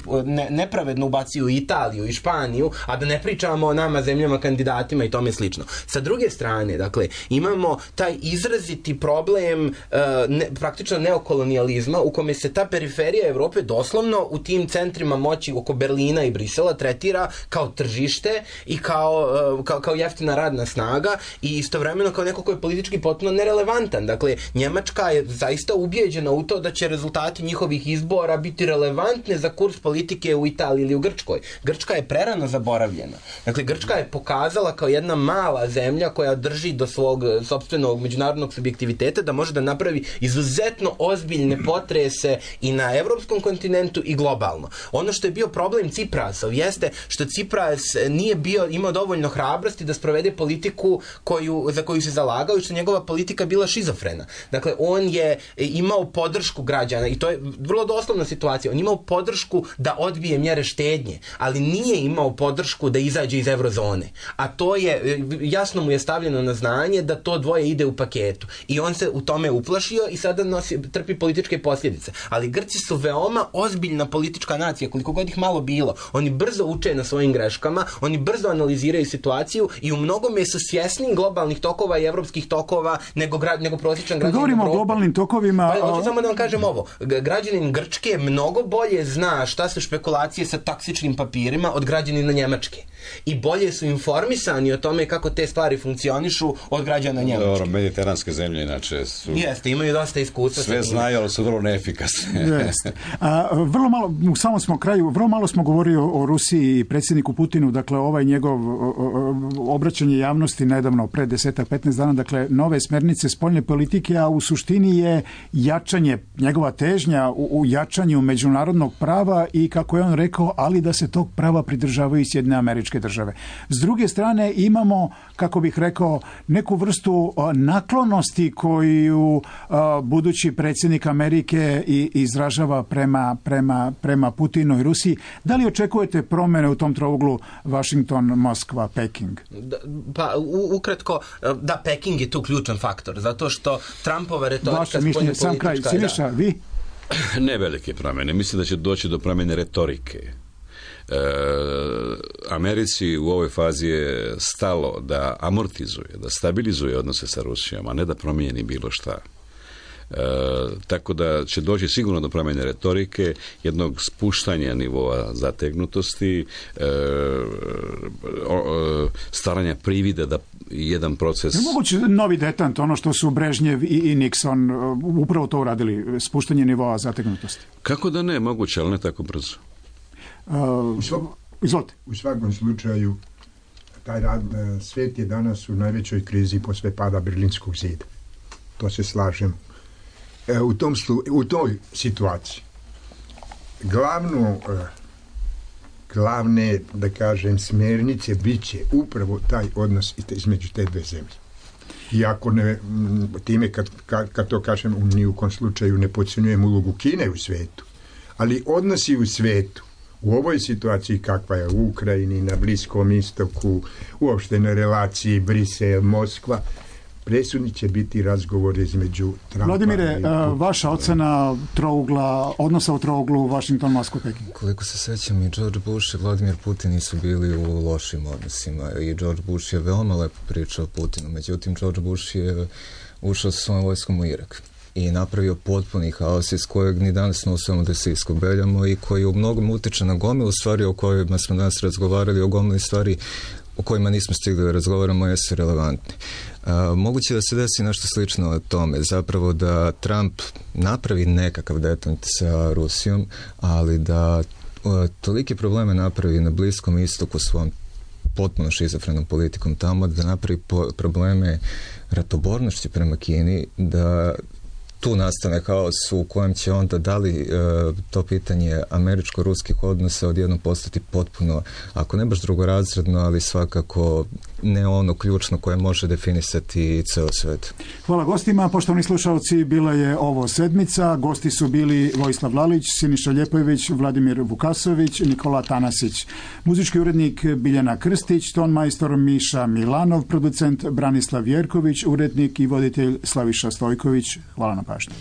nepravedno ubacuju Italiju i Španiju, a da ne pričamo o nama zemljama kandidatima i tome slično. Sa druge strane, dakle, imamo taj izraziti problem praktično neokolonijalizma, u kome se ta periferija Evrope doslovno u tim centrima moći oko Berlina i Brisela tretira kao tržište i kao jeftina radna snaga i istovremeno kao neko ko je politički potpuno nerelevantan. Dakle, Njemačka je zaista ubijeđena u to da će rezultati njihovih izbora biti relevantne za kurs politike u Italiji ili u Grčkoj. Grčka je prerano zaboravljena. Dakle, Grčka je pokazala kao jedna mala zemlja koja drži do svog sopstvenog međunarodnog subjektiviteta da može da napravi izuzetno ozbiljne potrese i na evropskom kontinentu i globalno. Ono što je bio problem Ciprasov jeste što Cipras nije imao dovoljno hrabrosti da sprovede politiku za koju se zalagao i što njegova politika bila šizofrena. Dakle, on je imao podršku građana i to je vrlo doslovna situacija. On imao podršku da odbije mjere štednje, ali nije imao podršku da izađe iz eurozone. A to je, jasno mu je stavljeno na znanje da to dvoje ide u paketu. I on se u tome uplašio i sada trpi političke posljedice. Ali Grci su veoma ozbiljna politička nacija, koliko god ih malo bilo. Oni brzo uče na svojim greškama, oni brzo analiziraju situaciju i u mnogome su svjesni globalnih tokova i evropskih tokova nego prosječan građanin. Govorimo o globalnim tokovima. Pa, hoću samo da vam kažem ovo. Građanin Grčke mnogo bolje zna šta su špekulacije sa taksičnim papirima od građanina Njemačke. I bolje su informisani o tome kako te stvari funkcionišu od građana Njemačke. Dobro, mediteranske zemlje inače su... Jeste, imaju dosta iskustva. Sve znaju, ali su vrlo neefikasne. Jeste. Vrlo malo, u samom smo kraju, vrlo malo smo govorili o Rusiji i predsjedniku Putinu, dakle ovaj njegov obraćanje javnosti nedavno, pre 10-15 dana, dakle nove smjernice spoljne politike, a u suštini je jačanje, njegova težnja u jačanju međunarodnog prava i kako je on rekao, ali da se tog prava pridržavaju i Sjedinjene Američke Države. S druge strane imamo, kako bih rekao, neku vrstu naklonosti koju budući predsjednik Amerike izražava prema Putinu i Rusiji. Da li očekujete promjene u tom trouglu Washington, Moskva, Peking? Pa ukratko, da, Peking je tu ključan faktor, zato što Trumpova retorika vaše mišljenje, sam kraj, Siniša, vi? Ne velike promjene, mislim da će doći do promjene retorike. Americi u ovoj fazi je stalo da amortizuje, da stabilizuje odnose sa Rusijom, a ne da promijeni bilo šta. Tako da će doći sigurno do promjene retorike, jednog spuštanja nivoa zategnutosti, staranja privida da jedan proces... Je moguće novi detant, ono što su Brežnjev i Nixon upravo to uradili, spuštanje nivoa zategnutosti? Kako da ne, moguće, ali ne tako brzo. Izvolite. U svakom slučaju svijet je danas u najvećoj krizi posle pada Berlinskog zida. To se slažem. U toj situaciji glavne, da kažem, smjernice bit će upravo taj odnos između te dve zemlje. Iako time kad to kažem, ni u kom slučaju ne podcjenjujem ulogu Kine u svijetu, ali odnosi u svijetu U ovoj situaciji kakva je u Ukrajini, na Bliskom istoku, uopšte na relaciji Brisel-Moskva, presudni će biti razgovor između Trumpa. Vladimire, vaša ocena odnosa u trouglu Washington, Moskva, Peking? Koliko se sećam, i George Bush i Vladimir Putin nisu bili u lošim odnosima i George Bush je veoma lepo pričao o Putinu, međutim George Bush je ušao sa svojom vojskom u Irak i napravio potpuni haos iz kojeg ni danas ne uspijemo da se iskobeljamo i koji u mnogom utiče na gomilu stvari o kojima smo danas razgovarali, o gomili stvari o kojima nismo stigli da razgovaramo, jesu relevantni. Moguće da se desi nešto slično o tome, zapravo da Trump napravi nekakav detent sa Rusijom, ali da tolike probleme napravi na Bliskom istoku svom potpuno šizofrenom politikom tamo, da napravi probleme ratobornošću prema Kini, da tu nastane haos u kojem će onda da li to pitanje američko-ruskih odnosa odjednom postati potpuno, ako ne baš drugorazredno, ali svakako ne ono ključno koje može definisati ceo svet. Hvala gostima. Poštovani slušalci, bila je ovo sedmica. Gosti su bili Vojislav Lalić, Siniša Ljepojević, Vladimir Vukasović, Nikola Tanasić. Muzički urednik Biljana Krstić, tonmajstor Miša Milanov, producent Branislav Jerković, urednik i voditelj Slaviša Stojković. Hvala na pažnju.